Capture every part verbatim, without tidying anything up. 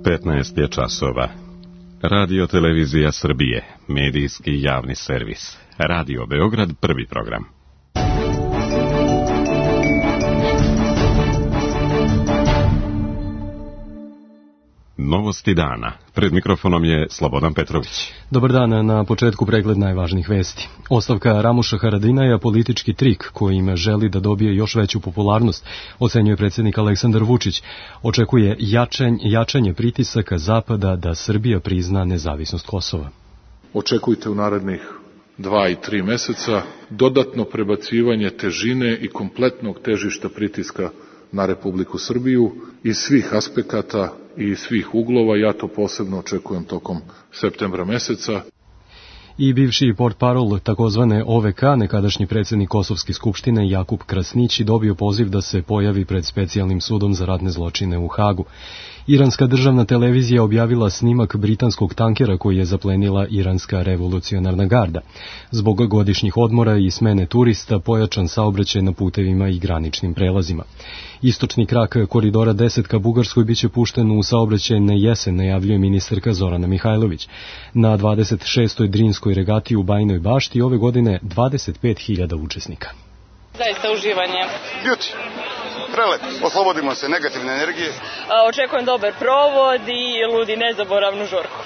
petnaest je časova. Radio Televizija Srbije, medijski javni servis. Radio Beograd, prvi program. Novosti dana. Pred mikrofonom je Slobodan Petrović. Dobar dan, na početku pregled najvažnijih vesti. Ostavka Ramuša Haradinaja politički trik kojim želi da dobije još veću popularnost, ocenjuje predsjednik Aleksandar Vučić. Očekuje jačanje, jačanje pritisaka Zapada da Srbija prizna nezavisnost Kosova. Očekujte u narednih dva i tri meseca dodatno prebacivanje težine i kompletnog težišta pritiska na Republiku Srbiju iz svih aspekata i iz svih uglova. Ja to posebno očekujem tokom septembra meseca. I bivši portparol takozvane O V K, nekadašnji predsjednik Kosovske skupštine Jakub Krasnići, dobio poziv da se pojavi pred specijalnim sudom za ratne zločine u Hagu. Iranska državna televizija objavila snimak britanskog tankera koji je zaplenila iranska revolucionarna garda. Zbog godišnjih odmora i smene turista pojačan saobraćaj na putevima i graničnim prelazima. Istočni krak koridora deset ka Bugarskoj biće pušten u saobraćaj na jesen, najavljuje ministarka Zorana Mihajlović. Na dvadeset šestoj Drinskoj regati u Bajinoj Bašti ove godine dvadeset pet hiljada učesnika. Zaista uživanje. Beauty. Prelep, oslobodimo se negativne energije. Očekujem dobar provod i ludi nezaboravnu žurku.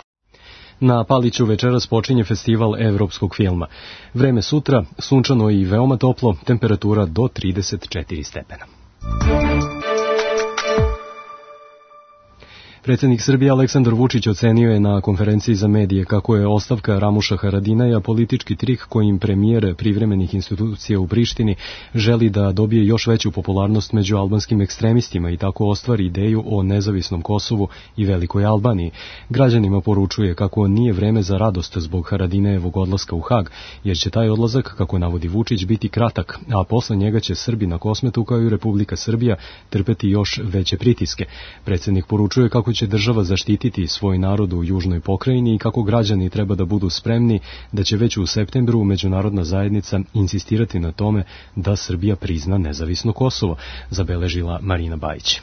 Na Paliću večeras počinje festival evropskog filma. Vreme sutra, sunčano i veoma toplo, temperatura do trideset četiri stepena. Predsjednik Srbije Aleksandar Vučić ocenio je na konferenciji za medije kako je ostavka Ramuša Haradinaja politički trik kojim premijer privremenih institucija u Prištini želi da dobije još veću popularnost među albanskim ekstremistima i tako ostvari ideju o nezavisnom Kosovu i Velikoj Albaniji. Građanima poručuje kako nije vreme za radost zbog Haradinajevog odlaska u Hag, jer će taj odlazak, kako navodi Vučić, biti kratak, a posle njega će Srbi na Kosmetu kao i Republika Srbija trpeti još veće pritiske. Predsjednik poručuje kako će država zaštititi svoj narod u južnoj pokrajini i kako građani treba da budu spremni da će već u septembru međunarodna zajednica insistirati na tome da Srbija prizna nezavisno Kosovo, zabeležila Marina Bajić.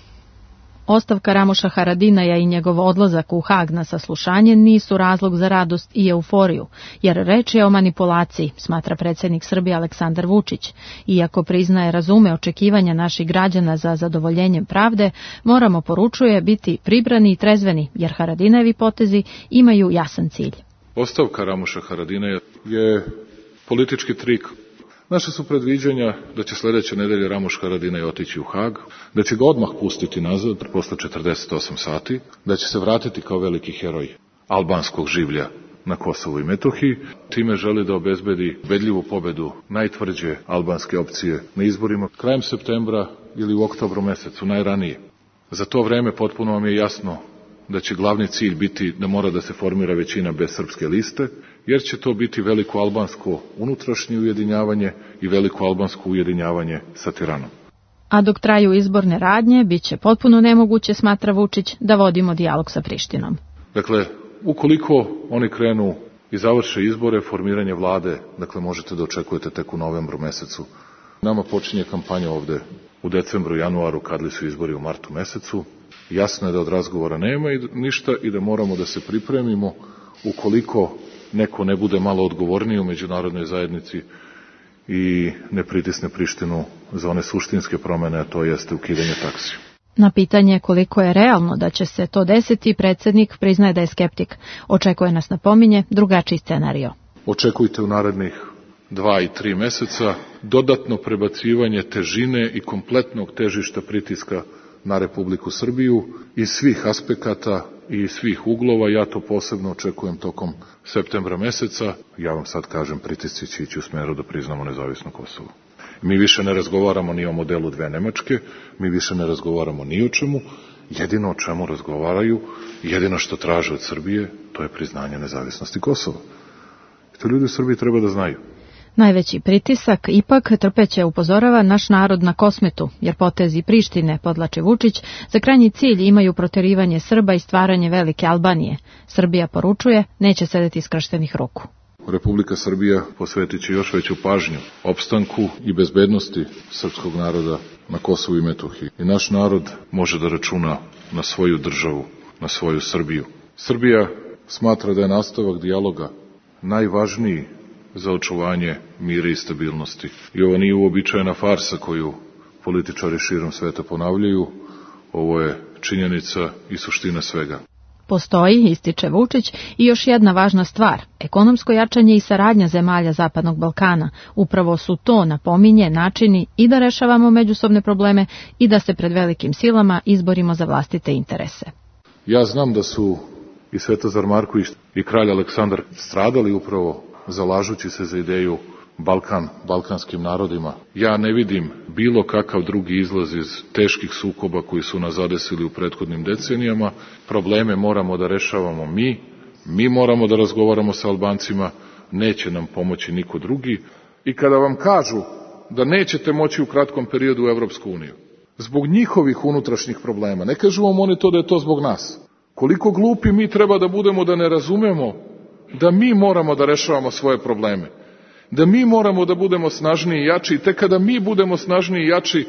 Ostavka Ramuša Haradinaja i njegov odlazak u Hag na saslušanje nisu razlog za radost i euforiju, jer reč je o manipulaciji, smatra predsjednik Srbije Aleksandar Vučić. Iako priznaje razume očekivanja naših građana za zadovoljenjem pravde, moramo, poručuje, biti pribrani i trezveni, jer Haradinajevi potezi imaju jasan cilj. Ostavka Ramuša Haradinaja je politički trik. Naše su predviđanja da će sljedeće nedelje Ramuš Haradinaj otići u Hag, da će ga odmah pustiti nazad posle četrdeset osam sati, da će se vratiti kao veliki heroj albanskog življa na Kosovu i Metohiji. Time želi da obezbedi ubedljivu pobedu najtvrđe albanske opcije na izborima krajem septembra ili u oktobru mesecu, najranije. Za to vreme potpuno vam je jasno da će glavni cilj biti da mora da se formira većina bez srpske liste, jer će to biti veliko albansko unutrašnje ujedinjavanje i veliko albansko ujedinjavanje sa Tiranom. A dok traju izborne radnje, bit će potpuno nemoguće, smatra Vučić, da vodimo dijalog sa Prištinom. Dakle, ukoliko oni krenu i završe izbore, formiranje vlade, dakle možete da očekujete tek u novembru mesecu. Nama počinje kampanja ovde u decembru, januaru, kad li su izbori u martu mesecu. Jasno je da od razgovora nema i ništa i da moramo da se pripremimo ukoliko neko ne bude malo odgovorniji u međunarodnoj zajednici i ne pritisne Prištinu za one suštinske promene, a to jeste ukidanje taksi. Na pitanje koliko je realno da će se to desiti, predsjednik priznaje da je skeptik. Očekuje, nas napominje, drugačiji scenario. Očekujte u narednih dva i tri meseca dodatno prebacivanje težine i kompletnog težišta pritiska na Republiku Srbiju iz svih aspekata i iz svih uglova. Ja to posebno očekujem tokom septembra meseca. Ja vam sad kažem, pritisci će ići u smeru da priznamo nezavisno Kosovo. Mi više ne razgovaramo ni o modelu dve Nemačke, mi više ne razgovaramo ni o čemu. Jedino o čemu razgovaraju, jedino što traže od Srbije, to je priznanje nezavisnosti Kosova. I to ljudi u Srbiji treba da znaju. Najveći pritisak ipak trpeće, upozorava, naš narod na Kosmetu, jer potezi Prištine, podlači Vučić, za krajnji cilj imaju proterivanje Srba i stvaranje velike Albanije. Srbija, poručuje, neće sedeti skrštenih ruku. Republika Srbija posvetit će još veću pažnju opstanku i bezbednosti srpskog naroda na Kosovu i Metohiji. I naš narod može da računa na svoju državu na svoju Srbiju. Srbija smatra da je nastavak dijaloga najvažniji za očuvanje mira i stabilnosti. I ovo nije uobičajena farsa koju političari širom sveta ponavljaju, ovo je činjenica i suština svega. Postoji, ističe Vučić, i još jedna važna stvar, ekonomsko jačanje i saradnja zemalja Zapadnog Balkana. Upravo su to, napominje, načini i da rešavamo međusobne probleme i da se pred velikim silama izborimo za vlastite interese. Ja znam da su i Svetozar Marković i kralj Aleksandar stradali upravo zalažući se za ideju Balkan, balkanskim narodima. Ja ne vidim bilo kakav drugi izlaz iz teških sukoba koji su nas zadesili u prethodnim decenijama. Probleme moramo da rešavamo mi, mi moramo da razgovaramo sa Albancima, neće nam pomoći niko drugi. I kada vam kažu da nećete moći u kratkom periodu u Evropsku uniju, zbog njihovih unutrašnjih problema, ne kažu vam oni to da je to zbog nas. Koliko glupi mi treba da budemo da ne razumemo da mi moramo da rešavamo svoje probleme, da mi moramo da budemo snažniji i jači i tek kada mi budemo snažniji i jači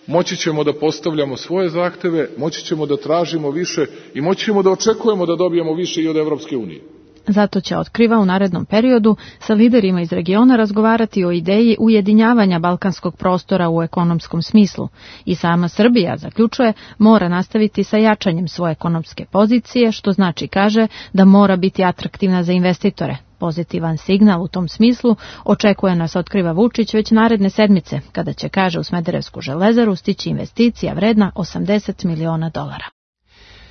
moći ćemo da postavljamo svoje zahteve, moći ćemo da tražimo više i moći ćemo da očekujemo da dobijemo više i od Evropske unije. Zato će, otkriva, u narednom periodu sa liderima iz regiona razgovarati o ideji ujedinjavanja balkanskog prostora u ekonomskom smislu. I sama Srbija, zaključuje, mora nastaviti sa jačanjem svoje ekonomske pozicije, što znači, kaže, da mora biti atraktivna za investitore. Pozitivan signal u tom smislu očekuje nas, otkriva Vučić, već naredne sedmice, kada će, kaže, u Smederevsku železaru stići investicija vredna osamdeset miliona dolara.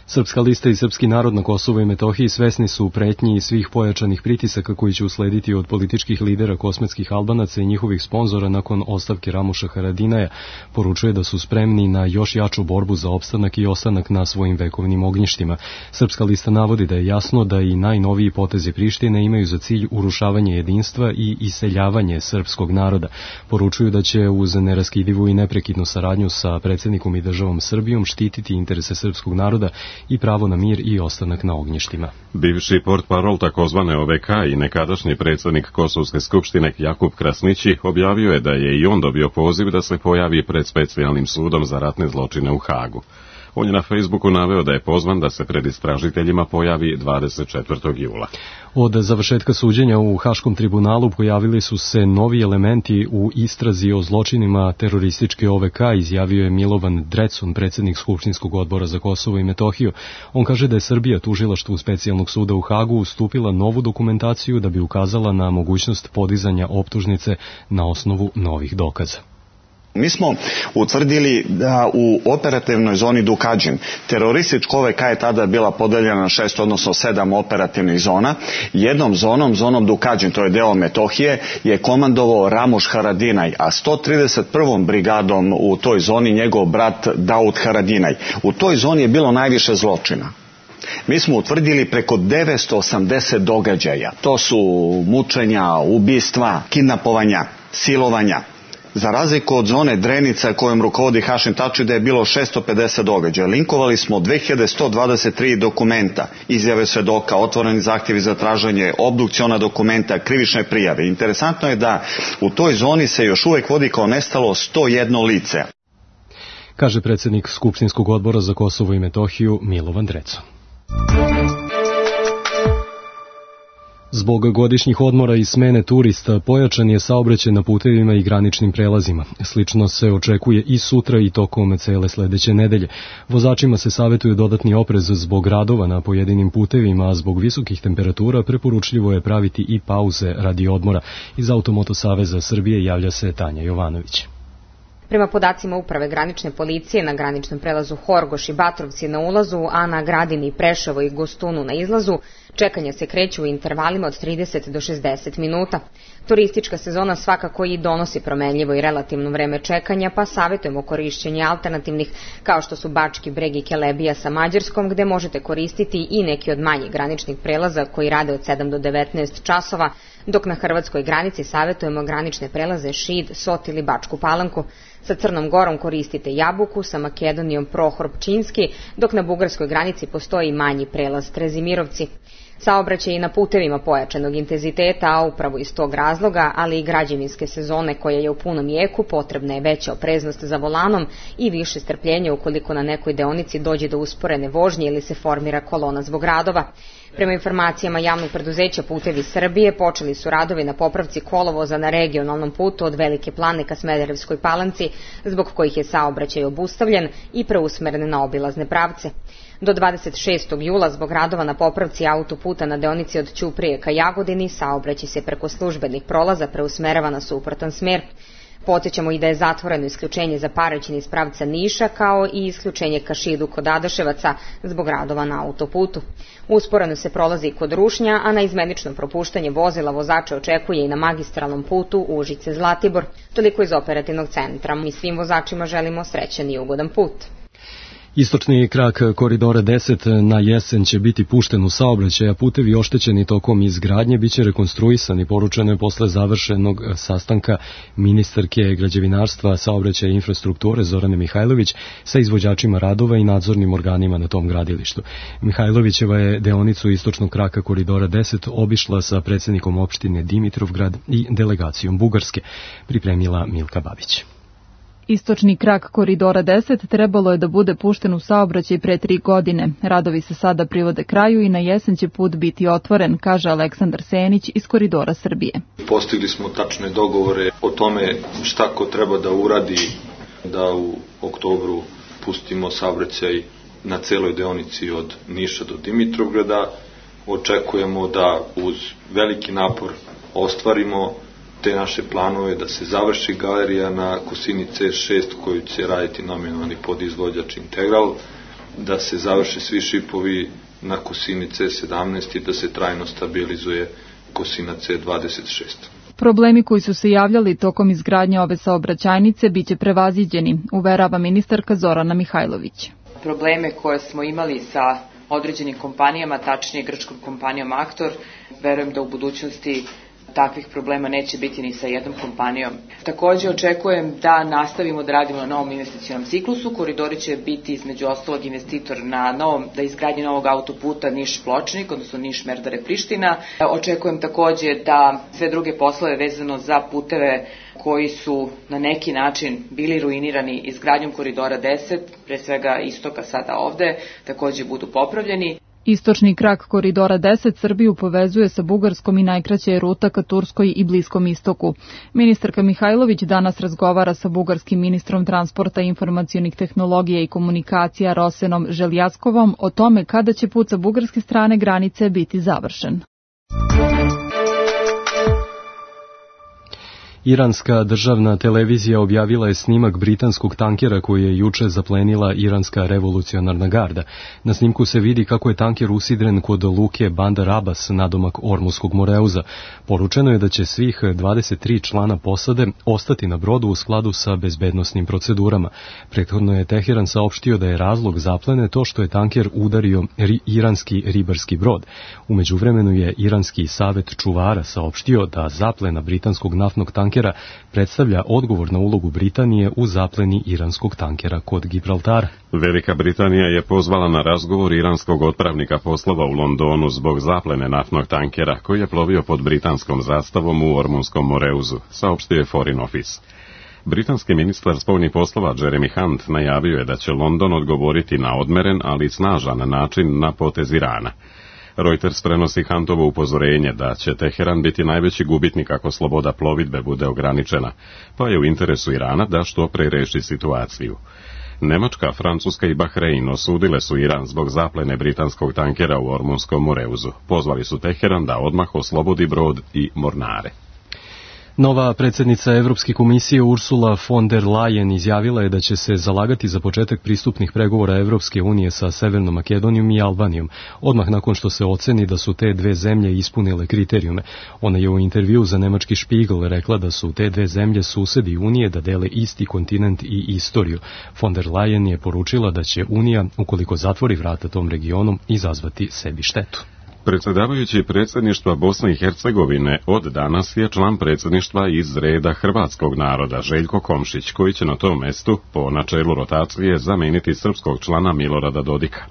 Srpska lista i srpski narod na Kosovu i Metohiji svesni su pretnji i svih pojačanih pritisaka koji će uslediti od političkih lidera kosmetskih Albanaca i njihovih sponzora nakon ostavke Ramuša Haradinaja. Poručuje da su spremni na još jaču borbu za opstanak i ostanak na svojim vekovnim ognjištima. Srpska lista navodi da je jasno da i najnoviji potezi Prištine imaju za cilj urušavanje jedinstva i iseljavanje srpskog naroda. Poručuju da će uz neraskidivu i neprekidnu saradnju sa predsjednikom i državom Srbijom štititi interese srpskog naroda i pravo na mir i ostanak na ognjištima. Bivši portparol takozvane O V K i nekadašnji predsjednik Kosovske skupštine Jakub Krasnići objavio je da je i on dobio poziv da se pojavi pred specijalnim sudom za ratne zločine u Hagu. On je na Facebooku naveo da je pozvan da se pred istražiteljima pojavi dvadeset četvrtog jula. Od završetka suđenja u Haškom tribunalu pojavili su se novi elementi u istrazi o zločinima terorističke O V K, izjavio je Milovan Drecun, predsjednik Skupštinskog odbora za Kosovo i Metohiju. On kaže da je Srbija tužilaštvu specijalnog suda u Hagu ustupila novu dokumentaciju da bi ukazala na mogućnost podizanja optužnice na osnovu novih dokaza. Mi smo utvrdili da u operativnoj zoni Dukađin, teroristička O V K je tada bila podeljena na šest, odnosno sedam operativnih zona. Jednom zonom, zonom Dukađin, to je deo Metohije, je komandovao Ramuš Haradinaj, a sto trideset prvom brigadom u toj zoni njegov brat Daud Haradinaj. U toj zoni je bilo najviše zločina. Mi smo utvrdili preko devetsto osamdeset događaja. To su mučenja, ubistva, kidnapovanja, silovanja. Za razliku od zone Drenica kojom rukovodi Hašim Tači da je bilo šesto pedeset događaja. Linkovali smo dve hiljade sto dvadeset tri dokumenta, izjave svedoka, otvoreni zahtjevi za traženje, obdukciona dokumenta, krivične prijave. Interesantno je da u toj zoni se još uvijek vodi kao nestalo sto jedno lice. Kaže predsjednik Skupštinskog odbora za Kosovo i Metohiju Milovan Drecun. Zbog godišnjih odmora i smene turista pojačan je saobraćaj na putevima i graničnim prelazima. Slično se očekuje i sutra i tokom cele sledeće nedelje. Vozačima se savjetuje dodatni oprez zbog radova na pojedinim putevima, a zbog visokih temperatura preporučljivo je praviti i pauze radi odmora. Iz Automoto Saveza Srbije javlja se Tanja Jovanović. Prema podacima Uprave granične policije, na graničnom prelazu Horgoš i Batrovci na ulazu, a na Gradini, Preševo i Gostunu na izlazu, čekanja se kreću u intervalima od trideset do šezdeset minuta. Turistička sezona svakako i donosi promenljivo i relativno vreme čekanja, pa savjetujemo korišćenje alternativnih, kao što su Bački Breg i Kelebija sa Mađarskom, gde možete koristiti i neki od manjih graničnih prelaza koji rade od sedam do devetnaest časova, dok na hrvatskoj granici savjetujemo granične prelaze Šid, Sot ili Bačku Palanku. Sa Crnom Gorom koristite Jabuku, sa Makedonijom Prohor Pčinski, dok na bugarskoj granici postoji manji prelaz Trezimirovci. Saobraćaj i na putevima pojačanog intenziteta, a upravo iz tog razloga, ali i građevinske sezone koja je u punom jeku, potrebna je veća opreznost za volanom i više strpljenja ukoliko na nekoj deonici dođe do usporene vožnje ili se formira kolona zbog radova. Prema informacijama javnog preduzeća Putevi Srbije, počeli su radovi na popravci kolovoza na regionalnom putu od Velike Plane ka Smederevskoj Palanci, zbog kojih je saobraćaj obustavljen i preusmeren na obilazne pravce. Do dvadeset šestog jula zbog radova na popravci autoputa na deonici od Ćuprije ka Jagodini saobraćaj se preko službenih prolaza preusmerava na suprotan smer. Podsjećamo i da je zatvoreno isključenje za Paraćin iz pravca Niša, kao i isključenje ka Šidu kod Adaševaca zbog radova na autoputu. Usporeno se prolazi kod Rušnja, a na izmenično propuštanje vozila vozača očekuje i na magistralnom putu Užice-Zlatibor. Toliko iz operativnog centra. Mi svim vozačima želimo srećan i ugodan put. Istočni krak koridora deset na jesen će biti pušten u saobraćaj, a putevi oštećeni tokom izgradnje biće rekonstruisani, poručeno je posle završenog sastanka ministarke građevinarstva, saobraćaja i infrastrukture Zorane Mihajlović sa izvođačima radova i nadzornim organima na tom gradilištu. Mihajlovićeva je deonicu istočnog kraka koridora deset obišla sa predsjednikom opštine Dimitrovgrad i delegacijom Bugarske, pripremila Milka Babić. Istočni krak koridora deset trebalo je da bude pušten u saobraćaj pre tri godine. Radovi se sada privode kraju i na jesen će put biti otvoren, kaže Aleksandar Senić iz Koridora Srbije. Postigli smo tačne dogovore o tome šta ko treba da uradi da u oktobru pustimo saobraćaj na celoj deonici od Niša do Dimitrovgrada. Očekujemo da uz veliki napor ostvarimo te naše planove, da se završi galerija na Kosini C šest koju će raditi nominalni podizvođač Integral, da se završe svi šipovi na Kosini C sedamnaest i da se trajno stabilizuje Kosina C dvadeset šest. Problemi koji su se javljali tokom izgradnje ove saobraćajnice biće prevaziđeni, uverava ministarka Zorana Mihajlović. Probleme koje smo imali sa određenim kompanijama, tačnije grčkom kompanijom Aktor, verujem da u budućnosti takvih problema neće biti ni sa jednom kompanijom. Takođe očekujem da nastavimo da radimo na novom investicionom ciklusu. Koridori će biti između ostalog investitor na novom, da izgradnje novog autoputa Niš-Pločnik, odnosno Niš-Merdare-Priština. Očekujem takođe da sve druge poslove vezano za puteve koji su na neki način bili ruinirani izgradnjom koridora deset, pre svega istoka sada ovde, takođe budu popravljeni. Istočni krak koridora deset Srbiju povezuje sa Bugarskom i najkraća je ruta ka Turskoj i Bliskom istoku. Ministarka Mihajlović danas razgovara sa bugarskim ministrom transporta, informacionih tehnologija i komunikacija Rosenom Željaskovom o tome kada će put sa bugarske strane granice biti završen. Iranska državna televizija objavila je snimak britanskog tankera koji je juče zaplenila iranska revolucionarna garda. Na snimku se vidi kako je tanker usidren kod luke Bandar Abbas, nadomak Ormuskog Moreuza. Poručeno je da će svih dvadeset tri člana posade ostati na brodu u skladu sa bezbednosnim procedurama. Prethodno je Teheran saopštio da je razlog zaplene to što je tanker udario ri, iranski ribarski brod. U međuvremenu je iranski savet čuvara saopštio da zaplena britanskog naftnog tankera predstavlja odgovor na ulogu Britanije u zapleni iranskog tankera kod Gibraltara. Velika Britanija je pozvala na razgovor iranskog otpravnika poslova u Londonu zbog zaplene naftnog tankera koji je plovio pod britanskom zastavom u Ormunskom Moreuzu, saopštio je Foreign Office. Britanski ministar spoljnih poslova Jeremy Hunt najavio je da će London odgovoriti na odmeren, ali snažan način na potez Irana. Reuters prenosi Huntovo upozorenje da će Teheran biti najveći gubitnik ako sloboda plovidbe bude ograničena, pa je u interesu Irana da što pre reši situaciju. Nemačka, Francuska i Bahrein osudile su Iran zbog zaplene britanskog tankera u Ormunskom Moreuzu. Pozvali su Teheran da odmah oslobodi brod i mornare. Nova predsjednica Evropske komisije Ursula von der Leyen izjavila je da će se zalagati za početak pristupnih pregovora Evropske unije sa Severnom Makedonijom i Albanijom, odmah nakon što se oceni da su te dve zemlje ispunile kriterijume. Ona je u intervju za nemački Spiegel rekla da su te dve zemlje susedi Unije, da dele isti kontinent i istoriju. Von der Leyen je poručila da će Unija, ukoliko zatvori vrata tom regionu, izazvati sebi štetu. Predsjedavajući predsjedništva Bosne i Hercegovine od danas je član predsjedništva iz reda hrvatskog naroda Željko Komšić, koji će na tom mestu, po načelu rotacije, zameniti srpskog člana Milorada Dodika.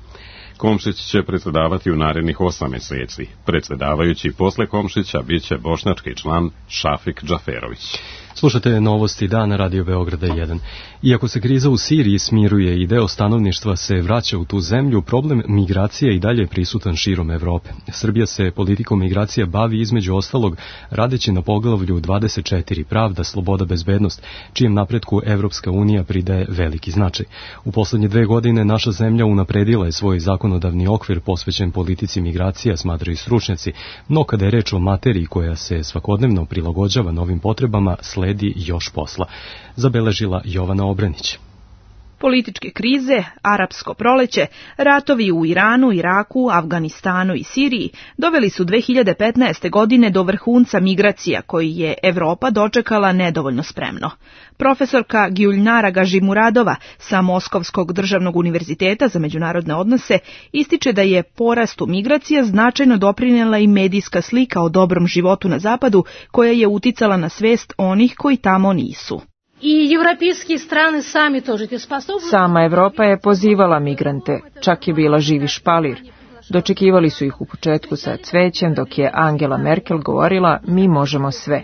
Komšić će predsjedavati u narednih osam mjeseci. Predsjedavajući posle Komšića bit će bošnjački član Šafik Džaferović. Slušate novosti dana Radio Beograda jedan. Iako se kriza u Siriji smiruje i deo stanovništva se vraća u tu zemlju, problem migracije i dalje je prisutan širom Evrope. Srbija se politikom migracija bavi između ostalog radeći na poglavlju dvadeset četiri Pravda, sloboda, bezbednost, čijem napretku Evropska unija pridaje veliki značaj. U poslednje dve godine naša zemlja unapredila je svoj zakonodavni okvir posvećen politici migracija, smatraju stručnjaci, no kada je reč o materiji koja se svakodnevno prilagođava novim potrebama, sledi još posla, zabeležila Jovana Obrenić. Političke krize, arapsko proleće, ratovi u Iranu, Iraku, Afganistanu i Siriji doveli su dve hiljade petnaeste. godine do vrhunca migracija koji je Evropa dočekala nedovoljno spremno. Profesorka Gjuljnara Gažimuradova sa Moskovskog državnog univerziteta za međunarodne odnose ističe da je porastu migracija značajno doprinijela i medijska slika o dobrom životu na zapadu koja je uticala na svest onih koji tamo nisu. I evropski strane sami тоже te способны. Sama Evropa je pozivala migrante, čak je bila živi špalir. Dočekivali su ih u početku sa cvećem, dok je Angela Merkel govorila mi možemo sve.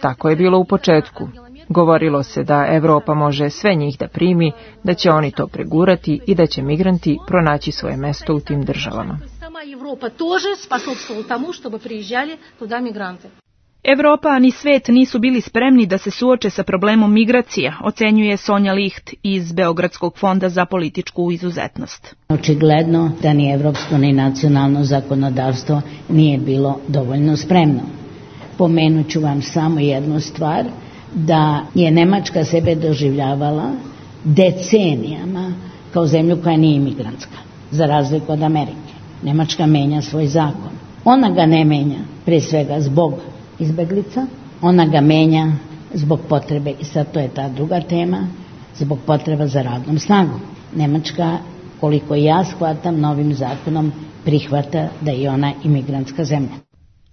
Tako je bilo u početku. Govorilo se da Evropa može sve njih da primi, da će oni to pregurati i da će migranti pronaći svoje mesto u tim državama. Sama Evropa тоже способствовала тому, чтобы приезжали туда мигранты. Evropa ni svet nisu bili spremni da se suoče sa problemom migracija, ocenjuje Sonja Licht iz Beogradskog fonda za političku izuzetnost. Očigledno da ni evropsko ni nacionalno zakonodavstvo nije bilo dovoljno spremno. Pomenut ću vam samo jednu stvar, da je Nemačka sebe doživljavala decenijama kao zemlju koja nije imigrantska, za razliku od Amerike. Nemačka menja svoj zakon. Ona ga ne menja, prije svega zbog izbeglica, ona ga menja zbog potrebe, i sad to je ta druga tema, zbog potreba za radnom snagom. Nemačka, koliko ja shvatam, novim zakonom prihvata da je ona imigrantska zemlja.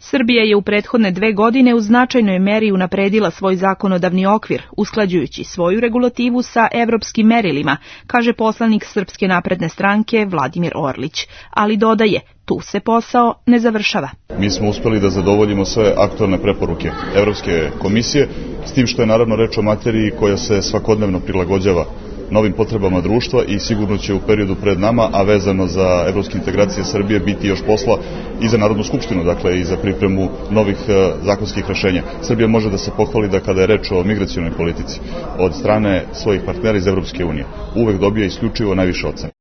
Srbija je u prethodne dve godine u značajnoj meri unapredila svoj zakonodavni okvir, usklađujući svoju regulativu sa evropskim merilima, kaže poslanik Srpske napredne stranke Vladimir Orlić, ali dodaje, tu se posao ne završava. Mi smo uspeli da zadovoljimo sve aktualne preporuke Evropske komisije, s tim što je naravno reč o materiji koja se svakodnevno prilagođava novim potrebama društva i sigurno će u periodu pred nama, a vezano za evropske integracije Srbije, biti još posla i za Narodnu skupštinu, dakle i za pripremu novih zakonskih rešenja. Srbija može da se pohvali da kada je reč o migracionoj politici od strane svojih partnera iz Evropske unije uvek dobija isključivo najviše ocene.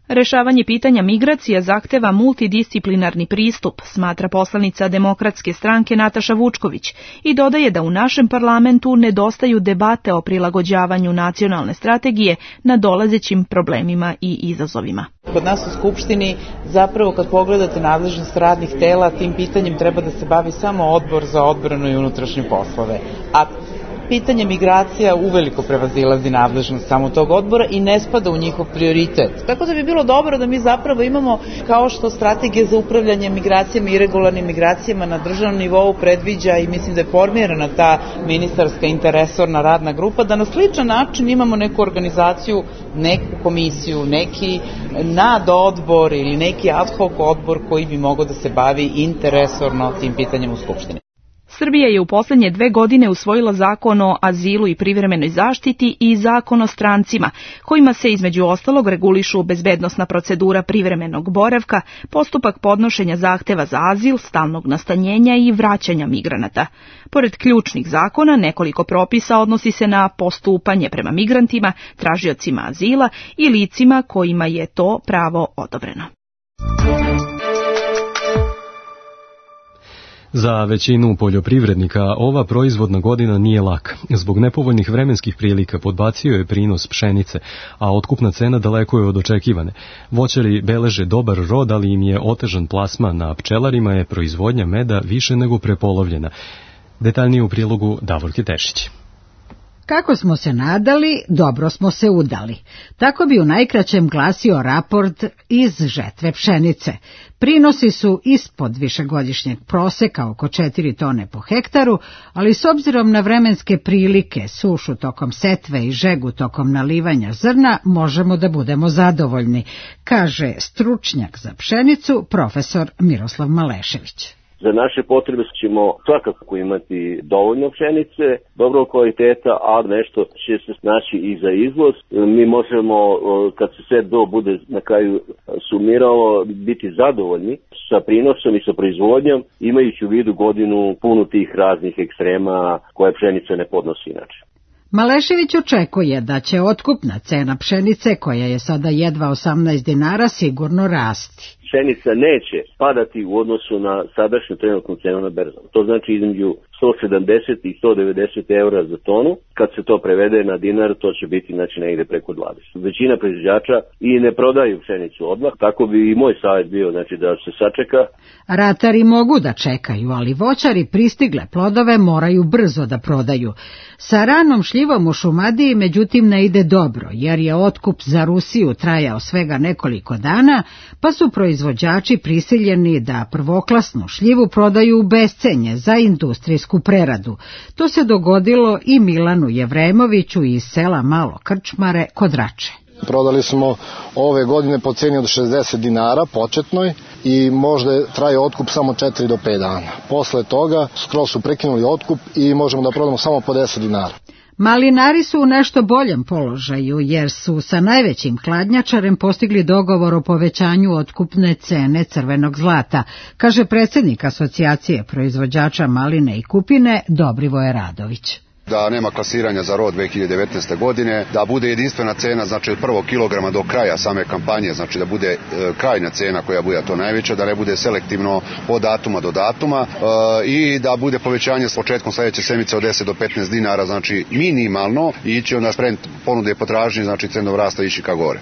Rešavanje pitanja migracija zahteva multidisciplinarni pristup, smatra poslanica Demokratske stranke Nataša Vučković i dodaje da u našem parlamentu nedostaju debate o prilagođavanju nacionalne strategije na dolazećim problemima i izazovima. Kod nas u Skupštini, zapravo kad pogledate nadležnost radnih tela, tim pitanjem treba da se bavi samo Odbor za odbranu i unutrašnje poslove. A pitanje migracija uveliko prevazilazi nadležnost samo tog odbora i ne spada u njihov prioritet. Tako da bi bilo dobro da mi zapravo imamo, kao što strategija za upravljanje migracijama i irregularnim migracijama na državnom nivou predviđa i mislim da je formirana ta ministarska interresorna radna grupa, da na sličan način imamo neku organizaciju, neku komisiju, neki nadodbor ili neki ad hoc odbor koji bi mogao da se bavi interresorno tim pitanjem u Skupštini. Srbija je u poslednje dve godine usvojila zakon o azilu i privremenoj zaštiti i zakon o strancima, kojima se između ostalog regulišu bezbednosna procedura privremenog boravka, postupak podnošenja zahteva za azil, stalnog nastanjenja i vraćanja migranata. Pored ključnih zakona, nekoliko propisa odnosi se na postupanje prema migrantima, tražiocima azila i licima kojima je to pravo odobreno. Za većinu poljoprivrednika ova proizvodna godina nije laka. Zbog nepovoljnih vremenskih prilika podbacio je prinos pšenice, a otkupna cena daleko je od očekivane. Voćari beleže dobar rod, ali im je otežan plasman, a pčelarima je proizvodnja meda više nego prepolovljena. Detaljnije u prilogu Davorke Tešić. Kako smo se nadali, dobro smo se udali. Tako bi u najkraćem glasio raport iz žetve pšenice. Prinosi su ispod višegodišnjeg proseka, oko četiri tone po hektaru, ali s obzirom na vremenske prilike, sušu tokom setve i žegu tokom nalivanja zrna, možemo da budemo zadovoljni, kaže stručnjak za pšenicu, profesor Miroslav Malešević. Za naše potrebe ćemo svakako imati dovoljno pšenice, dobrog kvaliteta, a nešto će se naći i za izvoz. Mi možemo, kad se sve do bude na kraju sumiralo, biti zadovoljni sa prinosom i sa proizvodnjom, imajući u vidu godinu punu tih raznih ekstrema koje pšenica ne podnosi inače. Malešević očekuje da će otkupna cena pšenice, koja je sada jedva osamnaest dinara, sigurno rasti. Pšenica neće padati u odnosu na sadašnju trenutnu cenu na berzama. To znači između sto sedamdeset i sto devedeset eura za tonu. Kad se to prevede na dinar, to će biti znači negde preko dvadeset. Većina proizvođača i ne prodaju pšenicu odmah, tako bi i moj savjet bio znači da se sačeka. Ratari mogu da čekaju, ali voćari pristigle plodove moraju brzo da prodaju. Sa ranom šljivom u Šumadiji međutim ne ide dobro, jer je otkup za Rusiju trajao svega nekoliko dana, pa su proizvođači prisiljeni da prvoklasnu šljivu prodaju u bescenje za industrijsku preradu. To se dogodilo i Milanu Jevremoviću iz sela Malo Krčmare kod Rače. Prodali smo ove godine po ceni od šezdeset dinara početnoj i možda traje otkup samo četiri do pet dana. Posle toga skroz su prekinuli otkup i možemo da prodamo samo po deset dinara. Malinari su u nešto boljem položaju, jer su sa najvećim hladnjačarem postigli dogovor o povećanju otkupne cene crvenog zlata, kaže predsjednik Asocijacije proizvođača maline i kupine Dobrivoje Radović. Da nema klasiranja za rod dve hiljade devetnaeste. godine, da bude jedinstvena cena, znači od prvog kilograma do kraja same kampanje, znači da bude e, krajna cena koja bude to najveća, da ne bude selektivno od datuma do datuma e, i da bude povećanje s početkom sljedeće sedmice od deset do petnaest dinara, znači minimalno, i ići onda sprem ponude i potražnje, znači cenovnog rasta ići ka gore.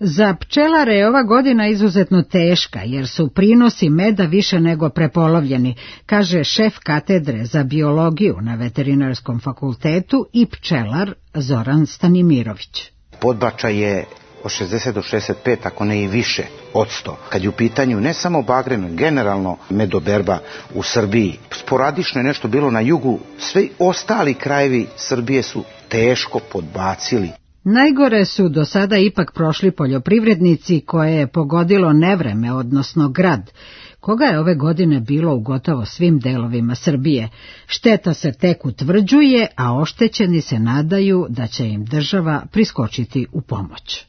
Za pčelare je ova godina izuzetno teška, jer su prinosi meda više nego prepolovljeni, kaže šef katedre za biologiju na Veterinarskom fakultetu i pčelar Zoran Stanimirović. Podbačaj je od šezdeset do šezdeset pet, ako ne i više, od sto. Kad je u pitanju ne samo bagren, generalno medoberba u Srbiji, sporadično je nešto bilo na jugu, svi ostali krajevi Srbije su teško podbacili. Najgore su do sada ipak prošli poljoprivrednici koje je pogodilo nevreme, odnosno grad, koga je ove godine bilo u gotovo svim delovima Srbije. Šteta se tek utvrđuje, a oštećeni se nadaju da će im država priskočiti u pomoć.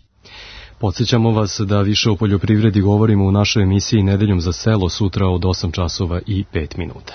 Podsjećamo vas da više o poljoprivredi govorimo u našoj emisiji Nedeljom za selo sutra od osam časova i pet minuta.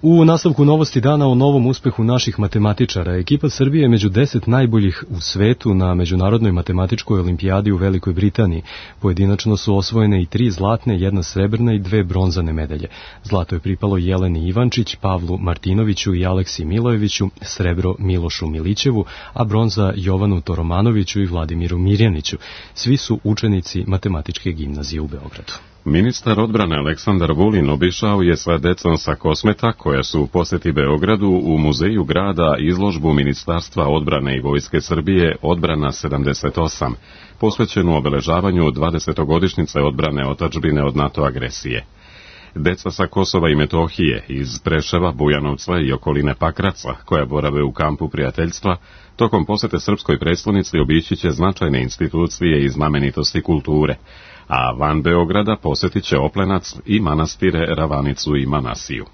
U nastavku novosti dana o novom uspehu naših matematičara, ekipa Srbije je među deset najboljih u svetu na Međunarodnoj matematičkoj olimpijadi u Velikoj Britaniji. Pojedinačno su osvojene i tri zlatne, jedna srebrna i dve bronzane medalje. Zlato je pripalo Jeleni Ivančić, Pavlu Martinoviću i Aleksi Milojeviću, srebro Milošu Milićevu, a bronza Jovanu Toromanoviću i Vladimiru Mirjaniću. Svi su učenici matematičke gimnazije u Beogradu. Ministar odbrane Aleksandar Vulin obišao je sa decom sa Kosmeta, koja su u posjeti Beogradu u muzeju grada izložbu Ministarstva odbrane i Vojske Srbije Odbrana sedamdeset osam, posvećenu obeležavanju dvadesetogodišnjice odbrane otadžbine od NATO agresije. Deca sa Kosova i Metohije, iz Preševa, Bujanovca i okoline Pakraca, koja borave u kampu prijateljstva, tokom posjete srpskoj prestonici obići će značajne institucije i znamenitosti kulture, a van Beograda posjetit će Oplenac i manastire Ravanicu i Manasiju.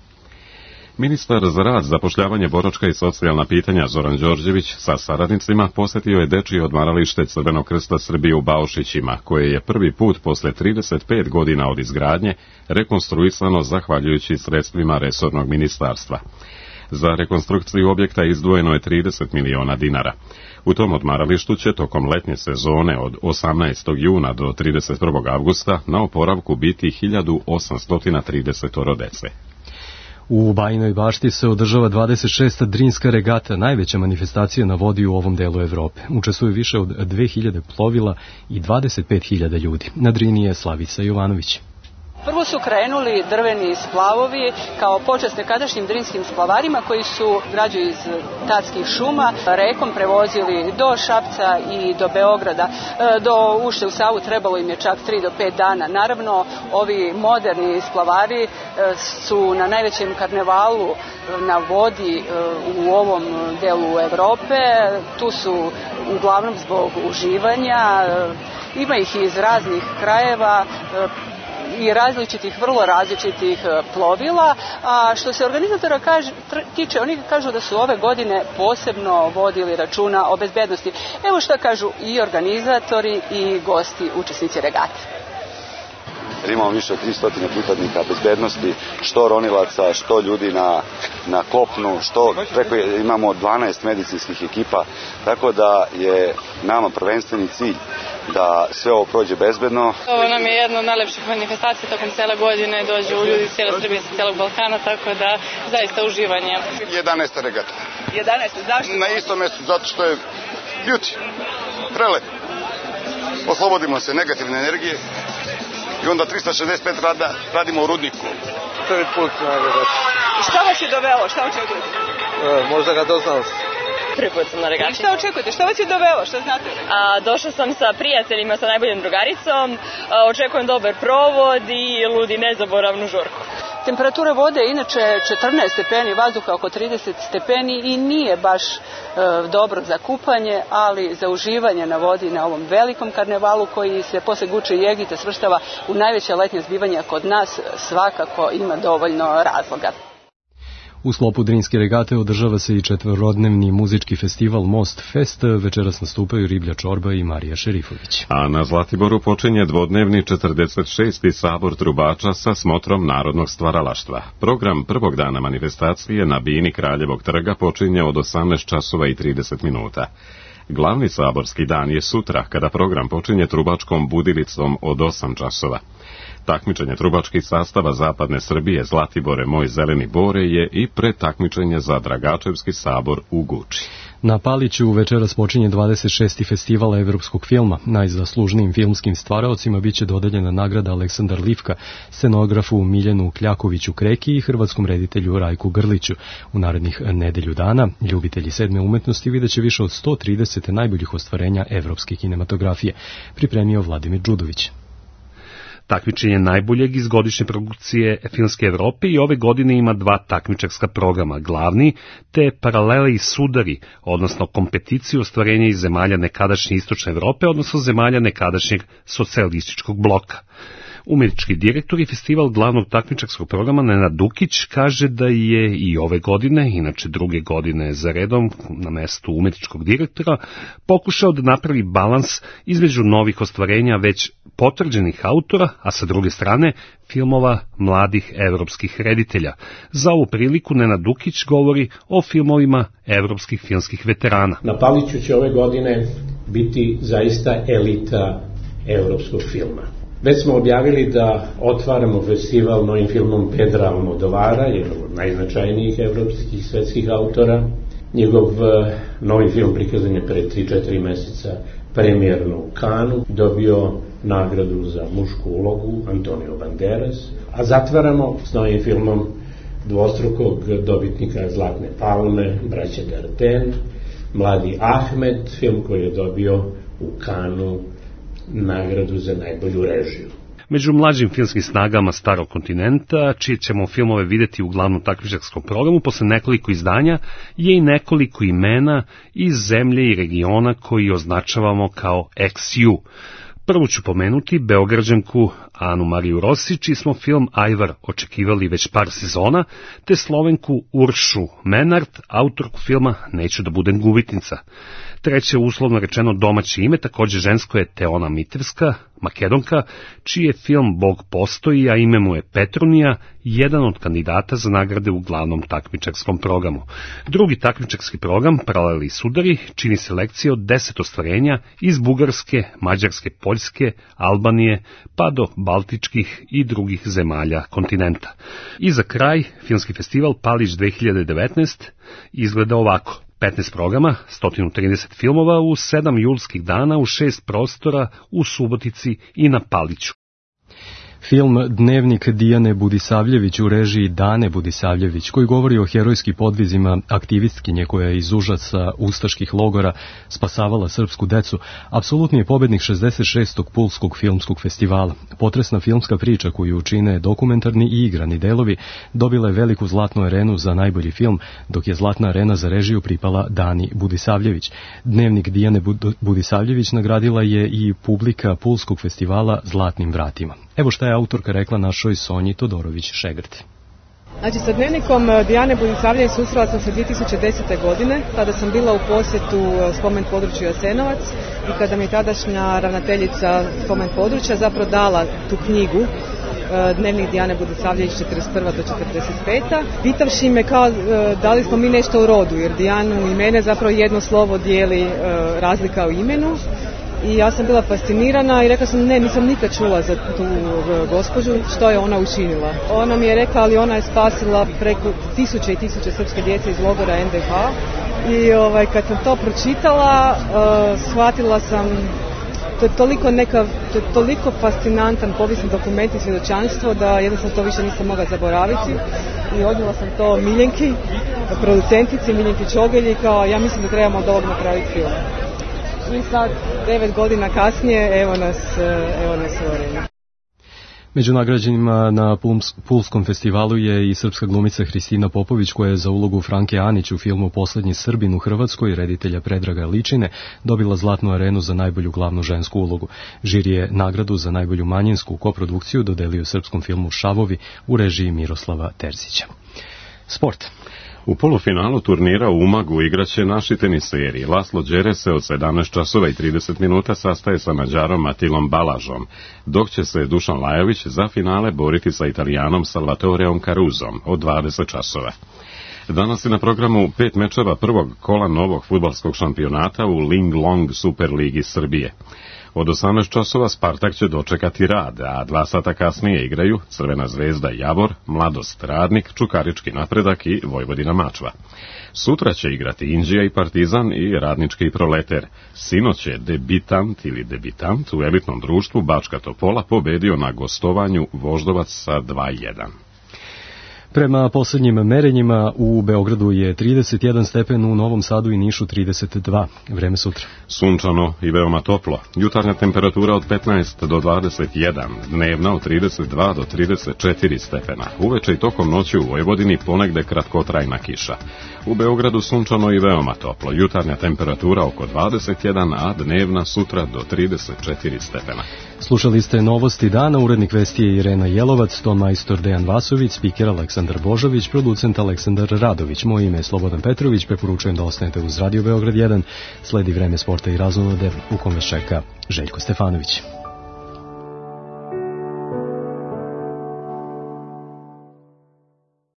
Ministar za rad, zapošljavanje, boračka i socijalna pitanja Zoran Đorđević sa saradnicima posjetio je dečije odmaralište Crvenog krsta Srbije u Baušićima, koje je prvi put posle trideset pet godina od izgradnje rekonstruisano zahvaljujući sredstvima resornog ministarstva. Za rekonstrukciju objekta izdvojeno je trideset miliona dinara. U tom odmaralištu će tokom letnje sezone od osamnaestog juna do trideset prvog avgusta na oporavku biti hiljadu osamsto trideset dece. U Bajinoj Bašti se održava dvadeset šesta Drinska regata, najveća manifestacija na vodi u ovom delu Evrope. Učestvuje više od dve hiljade plovila i dvadeset pet hiljada ljudi. Na Drini je Slavica Jovanović. Prvo su krenuli drveni splavovi kao počast nekadašnjim drinskim splavarima koji su građu iz tatskih šuma rekom prevozili do Šapca i do Beograda. Do ušće u Savu trebalo im je čak tri do pet dana. Naravno, ovi moderni splavari su na najvećem karnevalu na vodi u ovom delu Evrope. Tu su uglavnom zbog uživanja. Ima ih iz raznih krajeva i različitih, vrlo različitih plovila, a što se organizatora kaže, tiče, oni kažu da su ove godine posebno vodili računa o bezbednosti. Evo što kažu i organizatori i gosti, učesnici regate. Jer imamo više od tristo pripadnika bezbednosti, što ronilaca, što ljudi na, na kopnu, što preko imamo dvanaest medicinskih ekipa, tako da je nama prvenstveni cilj da sve ovo prođe bezbedno. Ovo nam je jedna od najlepših manifestacija tokom cele godine, dođu ljudi iz cijele Srbije, iz cijelog Balkana, tako da zaista uživanje. jedanaesta regata. jedanaesta, zašto? Na istom mjestu, zato što je beauty, prelep. Oslobodimo se negativne energije i onda trista šezdeset pet rada radimo u rudniku. Prvi put na regati. Šta vas je dovelo? Šta očekujete? E, možda ga doznalost. Prvi put sam na regati. Šta očekujete? Šta vas je dovelo? Šta znate? A, došla sam sa prijateljima, sa najboljom drugaricom. A, očekujem dobar provod i ludi nezaboravnu žurku. Temperatura vode je inače četrnaest stepeni, vazduha oko trideset stepeni i nije baš e, dobro za kupanje, ali za uživanje na vodi na ovom velikom karnevalu koji se posle Guče i Egipta svrstava u najveća letnja zbivanja kod nas, svakako ima dovoljno razloga. U sklopu Drinske regate održava se i četvorodnevni muzički festival Most Fest. Večeras nastupaju Riblja Čorba i Marija Šerifović. A na Zlatiboru počinje dvodnevni četrdeset šesti sabor trubača sa smotrom narodnog stvaralaštva. Program prvog dana manifestacije na bini Kraljevog trga počinje od osamnaest časova i trideset minuta. Glavni saborski dan je sutra, kada program počinje trubačkom budilicom od osam časova. Takmičenje trubačkih sastava Zapadne Srbije Zlatibore Moj zeleni bore je i pretakmičenje za Dragačevski sabor u Guči. Na Paliću večeras počinje dvadeset šesti festival evropskog filma. Najzaslužnijim filmskim stvaraocima biće dodeljena nagrada Aleksandar Livka, scenografu Miljanu Kljakoviću Kreki i hrvatskom reditelju Rajku Grliću. U narednih nedelju dana ljubitelji sedme umetnosti videće više od sto trideset najboljih ostvarenja evropske kinematografije, pripremio Vladimir Đudović. Takmičenje najboljeg iz godišnje produkcije Filmske Evrope i ove godine ima dva takmičarska programa, glavni te Paralele i sudari, odnosno kompeticiju ostvarenja iz zemalja nekadašnje Istočne Evrope, odnosno zemalja nekadašnjeg socijalističkog bloka. Umjetnički direktor i festival glavnog takmičarskog programa Nenad Dukić kaže da je i ove godine, inače druge godine za redom na mestu umjetničkog direktora, pokušao da napravi balans između novih ostvarenja već potvrđenih autora, a sa druge strane filmova mladih evropskih reditelja. Za ovu priliku Nenad Dukić govori o filmovima evropskih filmskih veterana. Na Paliću će ove godine biti zaista elita evropskog filma. Već smo objavili da otvaramo festival novim filmom Pedra Almodovara, jednog od najznačajnijih evropskih i svetskih autora. Njegov novi film prikazan je pre tri četiri meseca premijerno u Kanu, dobio nagradu za mušku ulogu Antonio Banderas, a zatvaramo s novim filmom dvostrukog dobitnika Zlatne palme, braće Dardenne, Mladi Ahmed, film koji je dobio u Kanu nagradu za najbolju režiju. Među mlađim filmskim snagama Starog kontinenta, čije ćemo filmove videti u glavnom takmičarskom programu, posle nekoliko izdanja, je i nekoliko imena iz zemlje i regiona koji označavamo kao X U. Prvu ću pomenuti Beograđanku Anu Mariju Rosić, čiji smo film Ajvar očekivali već par sezona, te Slovenku Uršu Menart, autorku filma Neću da budem gubitnica. Treće, uslovno rečeno domaće ime, također žensko, je Teona Mitrevska, Makedonka, čiji je film Bog postoji, a ime mu je Petronija, jedan od kandidata za nagrade u glavnom takmičarskom programu. Drugi takmičarski program, Paraleli i sudari, čini selekcije od deset ostvarenja iz Bugarske, Mađarske, Poljske, Albanije, pa do baltičkih i drugih zemalja kontinenta. I za kraj, filmski festival Palić dve hiljade devetnaest izgleda ovako. petnaest programa, sto trideset filmova u sedam julskih dana u šest prostora u Subotici i na Paliću. Film Dnevnik Dijane Budisavljević u režiji Dane Budisavljević, koji govori o herojskim podvizima aktivistkinje koja je iz užasa ustaških logora spasavala srpsku decu, apsolutni je pobednik šezdeset šestog Pulskog filmskog festivala. Potresna filmska priča koju čine dokumentarni i igrani delovi dobila je veliku zlatnu arenu za najbolji film, dok je zlatna arena za režiju pripala Dani Budisavljević. Dnevnik Dijane Budisavljević nagradila je i publika Pulskog festivala Zlatnim vratima. Evo šta je autorka rekla našoj Sonji Todorović-Šegrt. Znači, sa Dnevnikom Dijane Budisavljević susrela sam se dvije tisuće desete. godine, kada sam bila u posjetu spomen području Jasenovac i kada mi je tadašnja ravnateljica spomen područja zapravo dala tu knjigu Dnevnik Dijane Budisavljević četrdeset prva do četrdeset peta. Pitavši me kao da li smo mi nešto u rodu, jer Dijanu i mene zapravo jedno slovo dijeli razlika u imenu. I ja sam bila fascinirana i rekla sam ne, nisam nikad čula za tu gospođu, što je ona učinila. Ona mi je rekla, ali ona je spasila preko tisuće i tisuće srpske djece iz logora en de ha i ovaj, kad sam to pročitala, uh, shvatila sam, to je toliko neka, to je toliko fascinantan povijesni dokument i svjedočanstvo da jednostavno to više nisam mogla zaboraviti i odnijela sam to Miljenki, producentici Miljenki Čogelji, kao ja mislim da trebamo od ovog napraviti film. I sad, devet godina kasnije, evo nas, evo nas u areni. Među nagrađenima na Pulskom festivalu je i srpska glumica Hristina Popović, koja je za ulogu Franke Anić u filmu Poslednji Srbin u Hrvatskoj, reditelja Predraga Ličine, dobila zlatnu arenu za najbolju glavnu žensku ulogu. Žiri je nagradu za najbolju manjinsku koprodukciju dodelio srpskom filmu Šavovi u režiji Miroslava Terzića. Sport. U polufinalu turnira u Umagu igraće naši teniseri. Laslo Đere se od sedamnaest časova i trideset minuta sastaje sa Mađarom Matilom Balažom, dok će se Dušan Lajović za finale boriti sa Italijanom Salvatoreom Caruzom od dvadeset časova. Danas je na programu pet mečeva prvog kola novog fudbalskog šampionata u Ling Long Superligi Srbije. Od osamnaest časova Spartak će dočekati Rad, a dva sata kasnije igraju Crvena zvezda Javor, Mladost Radnik, Čukarički Napredak i Vojvodina Mačva. Sutra će igrati Inđija i Partizan i Radnički Proleter. Sinoć je debitant ili debitant u elitnom društvu Bačka Topola pobedio na gostovanju Voždovac sa dva jedan. Prema poslednjim merenjima u Beogradu je trideset jedan stepen, u Novom Sadu i Nišu trideset dva. Vreme sutra. Sunčano i veoma toplo. Jutarnja temperatura od petnaest do dvadeset jedan, dnevna od trideset dva do trideset četiri stepena. Uveče i tokom noći u Vojvodini ponegde kratkotrajna kiša. U Beogradu sunčano i veoma toplo. Jutarnja temperatura oko dvadeset jedan, a dnevna sutra do trideset četiri stepena. Slušali ste novosti dana, urednik vesti je Irena Jelovac, ton majstor Dejan Vasović, spiker Aleksandar Božović, producent Aleksandar Radović. Moje ime je Slobodan Petrović, preporučujem da ostanete uz Radio Beograd jedan, sledi vreme sporta i razonode u kome čeka Željko Stefanović.